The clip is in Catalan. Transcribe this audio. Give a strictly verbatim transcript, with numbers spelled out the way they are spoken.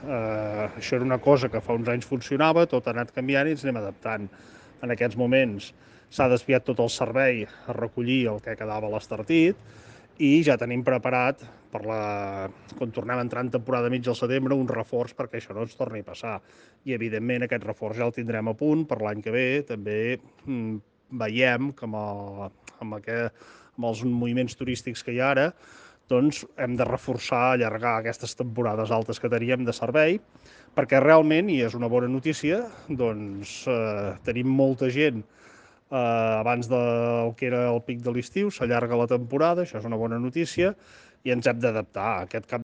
Eh, això era una cosa que fa uns anys funcionava, tot ha anat canviant i ens anem adaptant. En aquests moments s'ha desviat tot el servei a recollir el que quedava a l'Estartit i ja tenim preparat, per la... quan tornem a entrar en temporada mig al setembre, un reforç perquè això no ens torni a passar. I, evidentment, aquest reforç ja el tindrem a punt per l'any que ve. També mm, veiem que amb, el, amb, aquest, amb els moviments turístics que hi ha ara, doncs hem de reforçar, allargar aquestes temporades altes que teníem de servei, perquè realment, i és una bona notícia, doncs eh, tenim molta gent eh, abans del que era el pic de l'estiu, s'allarga la temporada, això és una bona notícia, i ens hem d'adaptar. Aquest cap